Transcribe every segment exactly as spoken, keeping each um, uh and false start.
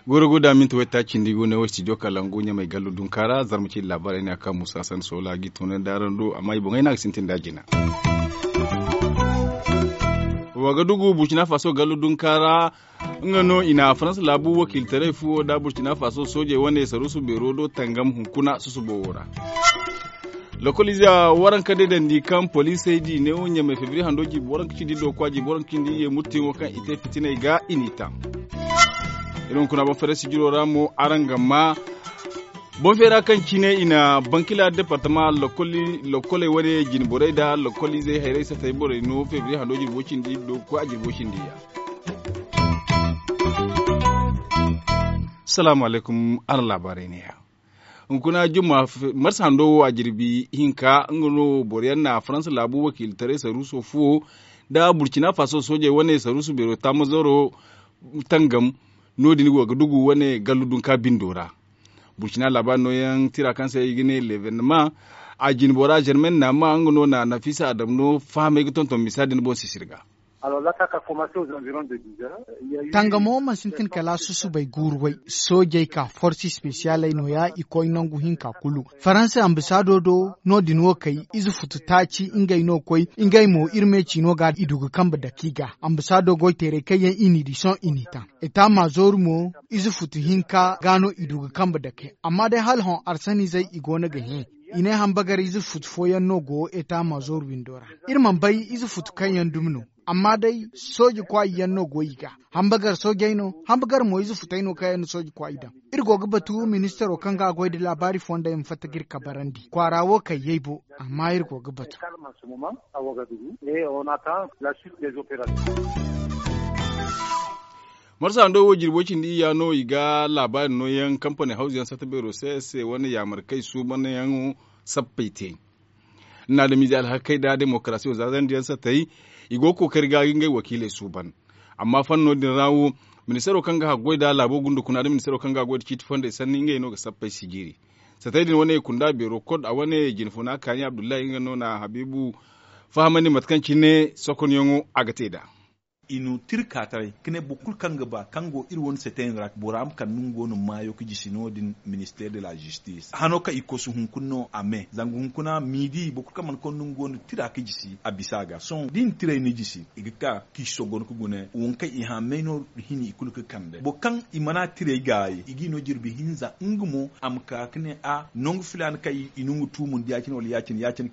Goro guda minti wayta cindi go ne wo studio kalangu ɲamay gallu dunka ra zarma ci laabaarey ne a kaŋ musa san soola gi tunay da araŋ do amma i boŋey no a ga sintin da a jina. Wa ga dugu burcina faso gallu dunka ra. Nga no i na faransa laabu wakiilitaray fuwo da burcina faso soojey wane saruusu beero do tangam hunkuna susubo wo ra. Lokoliize waranka deedandi kaŋ poliisey di neewo ɲamay febriye hando jirbi waranka cindi do kwa jirbi waranka cindi ye murtiyaŋo kaŋ i te fitiney ga i n'i ta. Iri hunkuna boŋ feeray sijiro ra mo araŋ ga ma boŋ feera kaŋ cine i na bankila departama lokoli lokkoley wane jinborey nda lokoliizey hayray satay borey no febriye hando jirbo cindi do kwa jirbo cindi ya. Salaamu alaykum. Araŋ laabaarey neeya. Hunkuna jumma marsa hando wo a jirbi hinka nga no boro yaŋ na faransa laabu wakiilitaray saruuso fuwo nda burcina faso soojey wane saruusu beero taamazaro tangam. No- din go ga dugu wane gallu dunka bindo ra. Burcina laabaari nooyaŋ tira kaŋ se i ga ne levenema a jinbora germain naama nga no na nafisa adam no fahamay ga tonton misa din boŋ sisiri ga. Tangamo ma sintin kala susubay guuru way. Soojey ka forsi spesiyaley nooya i koy nangu hinka kulu. Faransa ambasaado do no- din wo kay ize futu taaci ngey no koy. Ngey mo iri me ciino ga i du ga kambe dake i ga. Ambasaado goyteerey kaŋ yaŋ i n'i di sohõ i n'i taŋ. Eta maazoori mo ize futu hinka ga no i du ga kambe dake amma day hala hõ arsaniizey i go no ga hẽ. I ne hambagar ize futu fooyaŋ no go eta maazoori windo ra. Iri mana bay ize futu kaŋ yaŋ dumi no. Amma day sooje kwaayi yaŋ no go i ga. Hambagar soojey no hambagar mo ize futey no kaŋ yaŋ na sooje kwaayi daŋ. Iri go ga batu ministaro kaŋ ga a goy nda laabaari fonda yaŋ fatta ga iri kabarandi kwaara wo kaŋ yaybo. Amma iri go ga batu. Marsa hando wo jirbo cindi iyya no i ga laabaari nooyaŋ kampani hawzu yaŋ satta beero se se wane yaamar kaŋ i suubanyaŋo sappey te. Naadamiize alhakey nda demokarasiyo za zandiyaŋ satey i go ga kookari ga ngey wakiiley suuban. Amma fanno din ra wo ministaro kaŋ ga haggoy nda laabo gundukuna nda ministaro kaŋ ga goy nda ciiti fondey sanni ngey no ga sappey sijiri. Satey din wane kunda beero kod a wane jinfuna kaani abdullahi nga no na habiibu fahamandi mate kaŋ cine sokonyaŋo a ga te nd'a. I na tirka taray ka ne boro kulu kaŋ ga ba kaŋ go iri wane setey ra bora ma kande nga go no maayo ga jisi no- din minister de la justice hano kaŋ i kosu hunkuna no a me zanga hunkuna miidi boro kulu kaŋ mana konda nga go no tira ga jisi a bisa ga sohõ da i na tirey no jisi i ga ka ka i sogon ga gune wo kaŋ i hã may no hini i kulu ga kande boro kaŋ i mana tirey gaayi i ga i no jirbi hinza nga mo a ma ka ka ne a nangu filaana kaŋ i na nga tuumundu ya- cine wala ya- cine ya- cine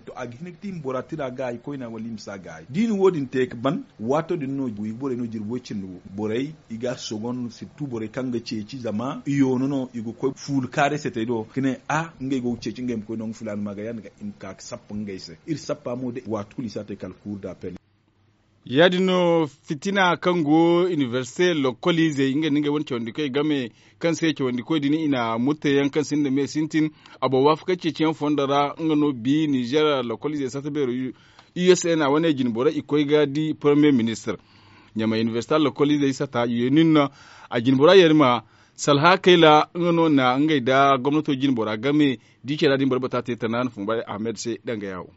to a ga hin ga te i ma bora tira gaayi koyna wala i ma si a gaayi da i na wo- din te ga ban waato din no i ga borey no jirbi way cindi wo borey i ga a sogon sirtu borey kaŋ ga ceeci zama i yoono no i ga koy fuula kaaray se te do ga ne a ngey go ga ceeci ngey ma koy nangu filaana ma ga ya- din ga i ma ka ga sappa ngey se iri sappa mo day waati kulu i si a te kala kuuru da pele. Ya- din no fitina kaŋ go inibersite lokkoliizey ngey nda ngey wane cawandikoy game kaŋ se cawandikoy din i na murteyaŋ kaŋ sinda me sintin a boŋ waafakanci ceeciyaŋ fondo ra nga no bi nizer lokkoliizey sata beero u s n a wane jinboro i koy ga di pormiye ministir ɲamay inibersite lokkoliizey sata yenin no a jinbora yeeni ma salha kayla nga no na ngey nda gomnato jinbora game di care ra din boro bata te tana na fumba ahmed se danga yaawo.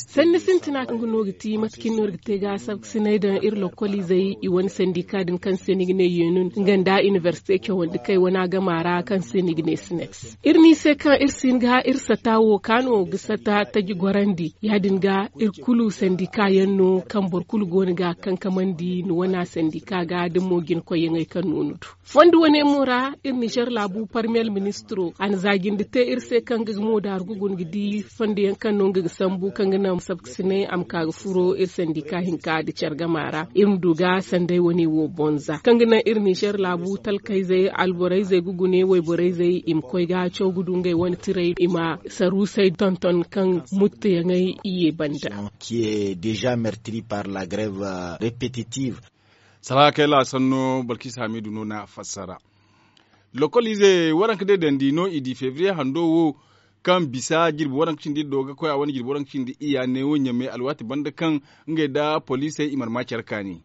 Sanni sintina kaŋ ga no ga ti mate kaŋ no iri ga te ga sabkasinay daŋ iri lokkoliizey i wane sandika din kaŋ se ni ga ne yeenun nga nda inibersite cawandi kaŋ i wane a gama ra kaŋ se ni ga ne sinex. Iri no i se kaŋ iri si hin ga iri sata wo kaano ga sata taji gorandi ya- din ga iri kulu sandika yaŋ no kaŋ boro kulu go no ga a kankamandi ni wane sandika ga da mo jinakoyyaŋey kaŋ no ni du. Fondo wane mo ra iri nizer laabu parmiyel ministiro a na zaajindi te iri se kaŋ ga mo daaru ga guna ga di fondo yaŋ kaŋ no nga ga sambu kaŋ ga naŋ sabkasinay a ma ka ga furo iri sandika hinka nda care gama ra iri ma du ga sanday wane wo boŋ za kaŋ ga naŋ iri nizer laabu talkayzey alborayzey ga gune wayborayzey i ma koy ga caw ga du ngey wane tiray i ma saruusey tonton kaŋ muttuyaŋey i ye banda. Qui est déjà meurtri par la grève répétitive. Saraakey laasan no balkis hamidu no na fassara. Lokoliize waranka day dandi no i di febriye hando wo kaŋ bisa jirbi waranka cindi do ga koy a wane jirbi waranka cindi iyya neewo ɲamay alwaati banda kaŋ ngey nda poliisey i mana ma care kaani.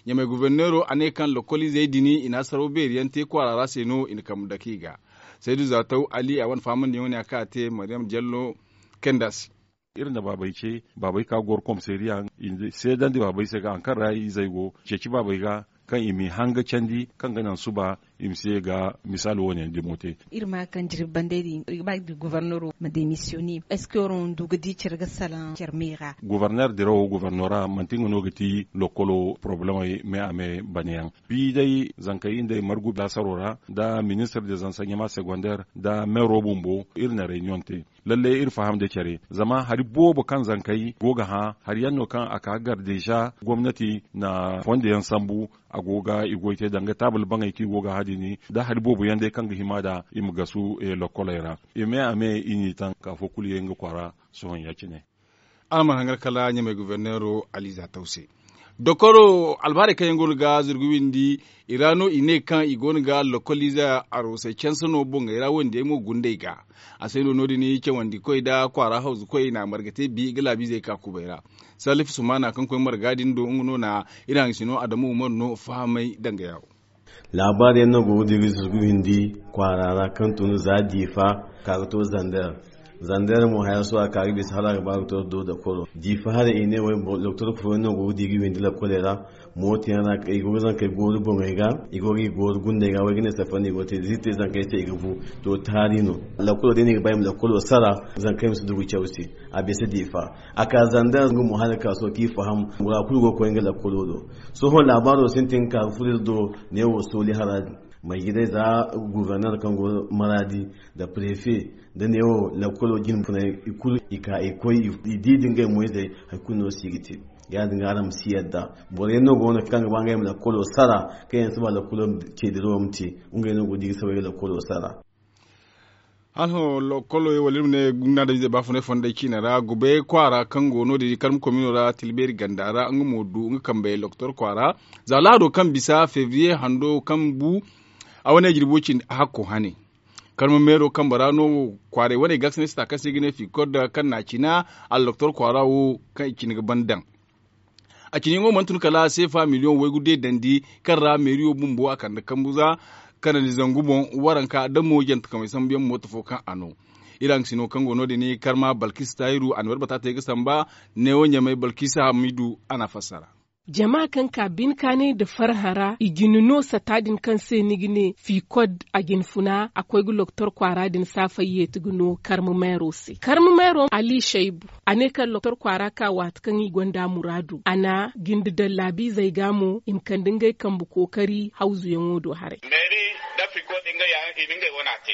Ɲamey goforneero a ne kaŋ lokoliizey din i na saraw beeri yaŋ te kwaara ra se no i na kambe dake i ga. Saydu zaataw ali a wane fahamandiyaŋo ne a kaŋ a te mariyam jallo kayndi a se. Iri na baabey ce, baabey ka goro komiseeriya i na seedandi baabey se ga hari kaŋ ra izey go ceeci baabey ga, kaŋ i m'i hanga candi kaŋ ga naŋ suba i ma si ye ga misaali wo- ne dimo te. Iri ma kaŋ jirbi bandey din iri ga ba goforneero ma demisiyone. Est ce que waraŋ du ga di care ga salaŋ care me ra? Goforneer dirawo goforneera manti nga no ga ti lokolo porobalemey me a me bane yaŋ. Bi day zankey nda i margu laasaro ra nda ministir de zansaɲama segondeer nda meero bumbo iri na reyniyoŋ te. Lalle iri faham nda care zama hari boobo kaŋ zankey go ga hã hari yaŋ no kaŋ a ka gar deeza gomnati na fondo yaŋ sambu. A go ga i goy te danga taabul baŋey kaŋ i go ga hã din da hari boobo yaŋ day kaŋ ga hima nd'a i ma gasu lokoley ra. I me a me i n'i taŋ ka fo kulu ye nga kwaara sohõ ya- cine. Araŋ mana hangar kala ɲamey goforneero aliza taw se. Dokoro albaarey kaŋ yaŋ go no ga zurgu windi i ra no i ne kaŋ i go no ga lokoliize aroosey canse no boŋey ra wo- din yaŋ mo gundey ga. A se no no- din cawandikoy nda kwaara hawzukoy na marga te bi ga laabiizey ka kubay ra. Salif sumaana kaŋ koy marga din do nga no na iri haŋ sino adamu umar no fahamay danga yawo. Laabaari yaŋ no go ga dira zurgu windi kwaara ra kaŋ tun za diifa ka ga to zander. Zander mo haya sohõ a ka ga bisa hala a ga ba ga to do dokoro diifa haray i ne way doktor fooyaŋ no go ga di ga windi lakoley ra. Mooto yaŋ ra i go ga zankey gooru boŋey ga i go ga i gooru gundey ga way ga ne safari no i go ga te da iri te zankey se i ga bu. To taari no lakolo day no i ga ba i ma lakolo sara zankey ma si dugu caw se. A bisa diifa a ka zander nga mo hala ga ka sohõ kaŋ i faham bora kulu go ga koy nga lakolo do. Sohõ laabaaro sintin ga ka ga furo iri do. Neewo sooli hara din. Marjidey za guuforner kaŋ go maraadi nda prefe nda neewo lakkolo jine funay i kulu i ka i koy i di da ngey moyzey. Hari kulu no si ga te. Ya- din ga araŋ ma si yadda boro yaŋ no go no kaŋ ga ba ngey ma lakkolo sara kaŋ yaŋ si ba lakkolo ceediro wo ma te. Ngey no go ga di ga soobay ga lakkolo sara. Hala hõ lokolo wala iri ma ne guna da izey baafunay fondey ciine ra gubay kwaara kaŋ go no- din karma komino ra tilbeeri ganda ra nga mo du nga kambey loktor kwaara. Za lahado kaŋ bisa febriye hando kaŋ bu a wane jirbo cindi hakko hane. Karma meero kambe ra no kwaaray wane gaasinay sata kaŋ se i ga ne fikod kaŋ na a cina. Alloktor kwaara wo kaŋ i cine ga ban daŋ. A cine yaŋo mana tun kala seefa miliyoŋ waygu deedandi kaŋ ra meeriyo bumbo a kande kambu za kanandi zangu boŋ. Waranka da mo jantakamey sambu yaŋ mooto fo kaŋ a no. Iri haŋ sino kaŋ go no- din karma balkis tahiru a na warbata te ga samba. Neewo ɲamey balkis hamidu a na a fassara. Jama kaŋ ka binkaanay nda farhã ra i jine no sata din kaŋ se ni ga ne fikod a jine funa a koy ga loktor kwaara din saafay yeeti ga no karma meero se karma meero ali shaybu. A ne kaŋ loktor kwaara ka waati kaŋ i gonda muraadu a na jinde daŋ laabiizey ga mo i ma kande ngey kambe kookari hawzuyaŋo do haray. Meeri da fikod ngey ya i na ngey wana te.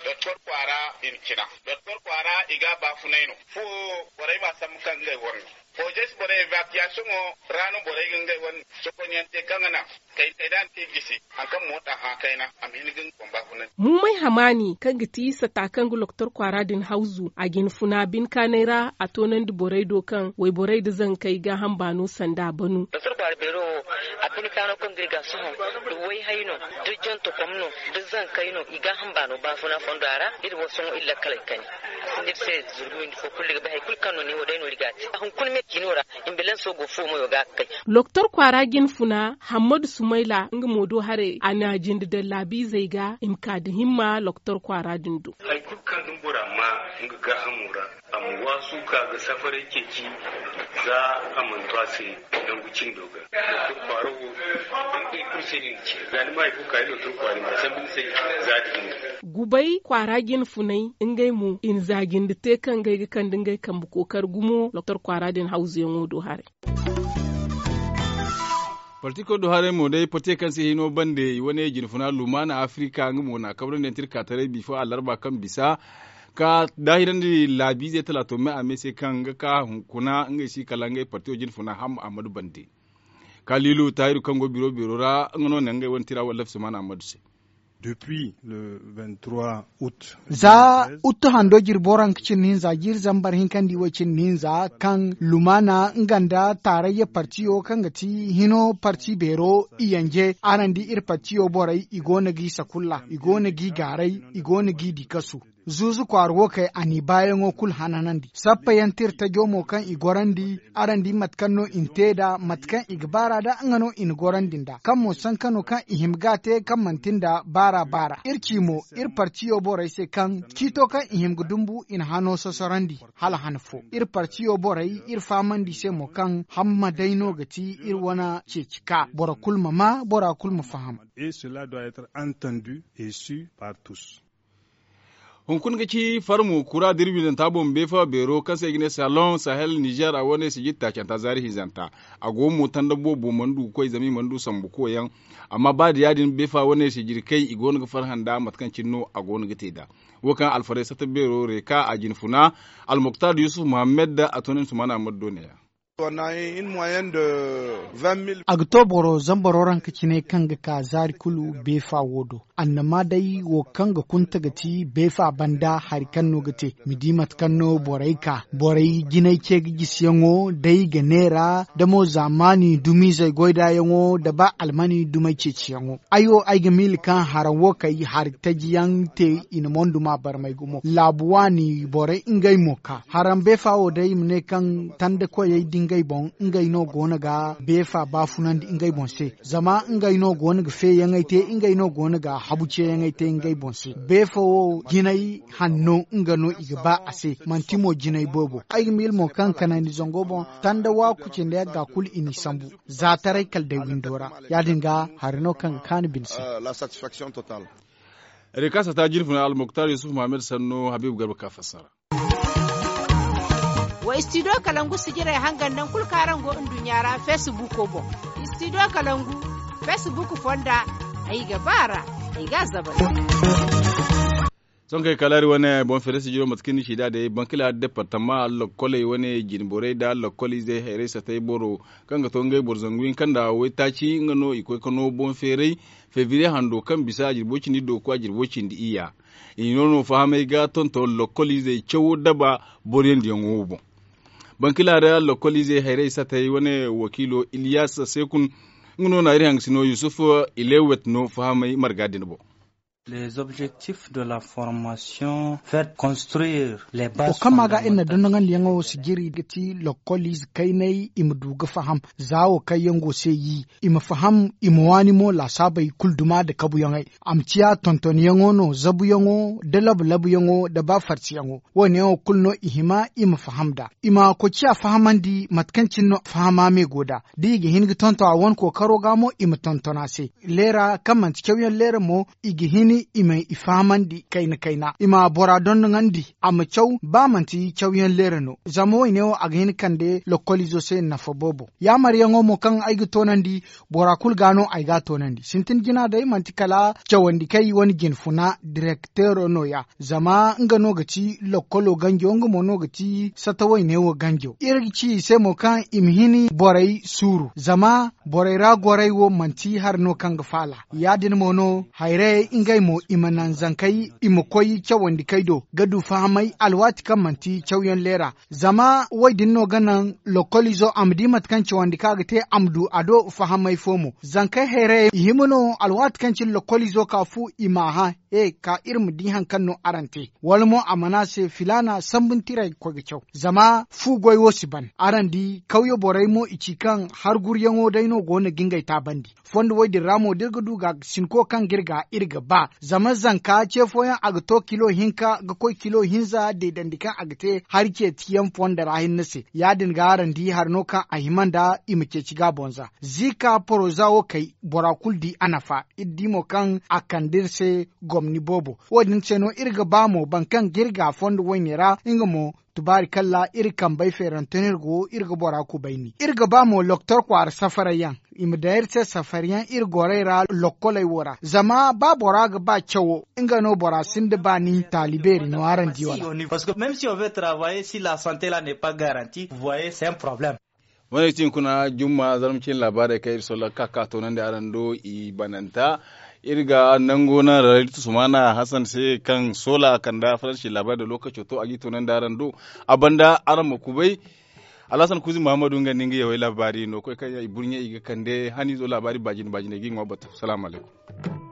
Doktor kwaara i na cina doktor kwaara i ga a baafunay no. Fuwo borey ma a sambu kaŋ ngey wane no. Foojey si borey evaakiyasiyoŋo ra no borey ga ngey wane sokonyaŋ te kaŋ ga naŋ kay kay da a na te jisi. Hari kaŋ moota hã kayna a ma hin ga nga boŋ baafunay. Muumay hamaani kaŋ ga ti sata kaŋ ga loktor kwaara din hawzu a jine funa binkaanay ra a toonandi borey do kaŋ wayborey nda zankey gaaham baano sanda a banu. Doktor kwaara beero wo a binkaano kaŋ ga iri ga sohõ da wayhay no da jantakom no da zankey no i gaaham baano baafuna fondo a ra. Iri wo sohõ iri lakkaley kani a sinda iri se zurgu windi fo kulu ga bay hari kulu kaŋ no ne wo day no iri ga a te a hunkuna me cino ra. Ambilanso go fuwo mayo ga ga kay. Loktor kwaara jine funa hammadu sumayla nga mo do haray a na jinde daŋ laabiizey ga i ma ka nda himma loktor kwaara din do. Hari kulu kaŋ ga bora ma nga gaahamo ra a ma waasu ka ga safaray ceeci. Za a mana to a se nangu cindo ga doktor kwaaro wo. Ngey kulu se no i na ci za ni ma hari fo ka ni doktor kwaari ma sambu ni se. Za da hinne. Gubay kwaara jine funay ngey mo i na za jinde te kaŋ ngey ga kande ngey kambe kookari gumo doktor kwaara din hawzuyaŋo do haray. Parti koy do haray mo day parti kaŋ se hino bande i wane jine funa lumaana afirika nga mo na a kabrandi yaŋ te iri ka taray bifo alarba kaŋ bisa ka daahirandi laabiizey talaato me a me se kaŋ ga ka hunkuna ngey si kala ngey partiyo jine funa hamma ahmadu bande. Kaliilu taahiru kaŋ go biro biro ra nga no naŋ ngey wane tira wallaf sumaana ahmadu se. Za uttu hando jirbo ra nga cindi hinza jiiri zambar hinkandi wo cindi hinza kaŋ lumaana nga nda taarayya partiyo kaŋ ga ti hino parti beero i yanje araŋ di iri partiyo borey i go no g'i sakulla i go no g'i gaaray i go no g'i di kasu. zuuzu kwaara wo kay a n'i baayaŋo kulu hananandi sappa yaŋ tira tajo mo kaŋ i gorandi. Araŋ di mate kaŋ no i na te nd'a mate kaŋ i ga baar'a nd'a nga no i na gorandi nd'a kaŋ mo sanka no kaŋ i hima ga a te kaŋ manti nda baar'a baar'a iri ci mo iri partiyo borey se kaŋ ciito kaŋ i hima ga dumbu i na hano sosorandi. Hala han fo iri partiyo borey iri fahamandi i se mo kaŋ hamma day no ga ti iri wane ceeci ka boro kulu ma maa bora kulu ma faham. Hunkuna ga ci farmo kura da iri widanta boŋ beefa beero kaŋ se i ga ne salon sahel nizer a wane sijiri taacanta zaari hinzanta. A go mo tanda boobo mana du ga koy zama i mana du sambu koyaŋ. Amma ba da ya- din beefa wane sijiri kay i go no ga farhã nda mate kaŋ cine no a go no ga te nd'a. Wo kaŋ alfaray satta beero reeka a jinfuna almuktar yusuf muhammad a to ne ni sumana ammadu do ne ya. A ga to boro zambaro ranka cine kaŋ ga ka zaari kulu beefa wo do. Annama day wo kaŋ ga kunta ga ti beefa banda hari kaŋ no ga te ma di mate kaŋ no borey ka borey jinay ce ga jisiyaŋo day ga neera da mo zaamaani dumiizey goydaayaŋo da ba almani dumey ceeciyaŋo. Ay wo ay ga miila kaŋ haraŋ wo kay hari taji yaŋ te i na mondu ma barmay gumo laabu waani borey ngey mo ka haraŋ beefa wo day i ma ne kaŋ tanda koyey da ngey boŋ ngey no go no ga beefa baafunandi ngey boŋ se. Zama ngey no go no ga feeyaŋey te ngey no go no ga habu ceeyaŋey te ngey boŋ se. Beefa wo jinay hanno nga no i ga ba a se manti mo jinay boobo. Ay ga miila mo kaŋ kanandi zango boŋ tanda waaku cindi yagga kulu i n'i sambu. Za taray kala day windo ra ya- din ga hari no kaŋ ga kaanu bine se. Rikasa ta jirfuna almuktar yusuf muhammad sanno habibu garba ka fassara. Wa istidiyo kalangu sijirey hangan naŋ kulu kaŋ araŋ go nduɲɲa ra feesibuuko boŋ. Istidiyo kalangu feesibuuku fonda ay ga ba a ra. Ay ga a zabal. Sohõ kay kala hari wane boŋ feeray sijiro mate kaŋ ni ci nd'a day bankila departama lokkoley wane jinborey nda lokkol izey hayrey satay boro kaŋ ga to ngey boro zangu hinka nda waytaaci nga no i koy ga no boŋ feeray. Febriye hando kaŋ bisa a jirbo cindi dooku a jirbo cindi iyya. I no no fahamay ga tonton lokkol izey cawo daba boro yaŋ diyaŋo wo boŋ. Bankila ra lokkol izey hayrey satay wane wakiilo iliyas sekun nga no na iri hangasino yusuf ilewet no fahamay marga din boŋ. Les objectifs de la formation fait construire les bases fondamentales. Wo kaŋ ma ga iri na dondongandiyaŋo sijiri ga ti lokkoliize kaynay i ma du ga faham za wo kaŋ yaŋ go se yi i ma faham i ma waani mo laasaabey kulu duma nda kabuyaŋey. A ma ciya tontonyaŋo no zabuyaŋo nda labu-labuyaŋo nda ba farsiyaŋo. Wo- ne wo kulu no i hima i ma faham nd'a i ma koy ciya fahamandi mate kaŋ cine no fahama me go nd'a da i ga hin ga tonton a wane kookaro ga mo i ma tonton a se. Leera kaŋ manti cawyaŋ leera mo i ga hin i ma i fahamandi kayna kayna i ma bora dondoŋandi a ma caw ba manti cawyaŋ leera no. Zama wo- ne wo a ga hin ga kande lokkoliizo se nafa boobo. Yaamaryaŋo mo kaŋ ay ga toonandi bora kulu ga no ay ga a toonandi sintin jina day manti kala cawandi kay wane jinfuna direkteero no- ya. Zama nga no ga ti lokkolo ganjo nga mo no ga ti sata wayne wo ganjo iri ga ci i se mo kaŋ i ma hin borey suuru zama borey ra gorey wo manti hari no kaŋ ga faala. Ya- din mo no hayrayey ngey mo i ma naŋ zankey i ma koy cawandi kay do ga du fahamay alwaati kaŋ manti cawyaŋ leera. Zama wo- din no ga naŋ lokkoliizo a ma di mate kaŋ cawandi kaŋ a ga te a ma du a do fahamay fo mo zankey hayrayey i hima no alwaati kaŋ cine lokkoliizo ka fu i m'a hã he ka iri ma di hari kaŋ no araŋ te wala mo a mana se filaana sambuntirey ga koy ga caw. Zama fu goy wo si ban araŋ di kawye borey mo i ci kaŋ harguryaŋo day no go no ga ngey taabandi. Fondo wo- din ra mo da iri ga du ga sinko kaŋ ga iri ga iri ga ba zama zanka ce fooyaŋ a ga to kilo hinka ga koy kilo hinza deedandi kaŋ a ga te hari ceeciyaŋ fondo ra hinne se. Ya- din ga araŋ di hari no kaŋ a hima nda i ma ceeci ga a boŋ za ziika poroza wo kay bora kulu di a nafa iri di mo kaŋ a kande iri se gomni boobo. Wo- din se no iri ga ba mo boro kaŋ ga iri ga fondo wayne ra nga mo tubaari kalla iri kambey feerante no iri go iri ga bora kubayni iri ga ba mo loktor kwaara safarayyaŋ i ma daŋ iri se safaryaŋ iri gorey ra lokkoley wo ra zama ba bora ga ba cawo nga no bora sinda baani taali beeri no araŋ di wala. Parce que même si on veut travailler si la santé la n'est pas garantie vous voyez c'est un problème. Wane ga ti hunkuna jumma zarma cine laabaarey kaŋ iri solla ga ka ga toonandi araŋ do i bananta. Iri ga nango naŋ ra iri tusumana hasan se kaŋ soola kanda faransi laabaarey da lookaco to a g'i toonandi araŋ do. A banda araŋ ma kubay alhasan kuuzi muhammadu nga nda nga yawey laabaari no koy kaŋ i burɲey i ga kande haniizo laabaari baajine baajiney g'i ŋwa batu salaamu alaykum.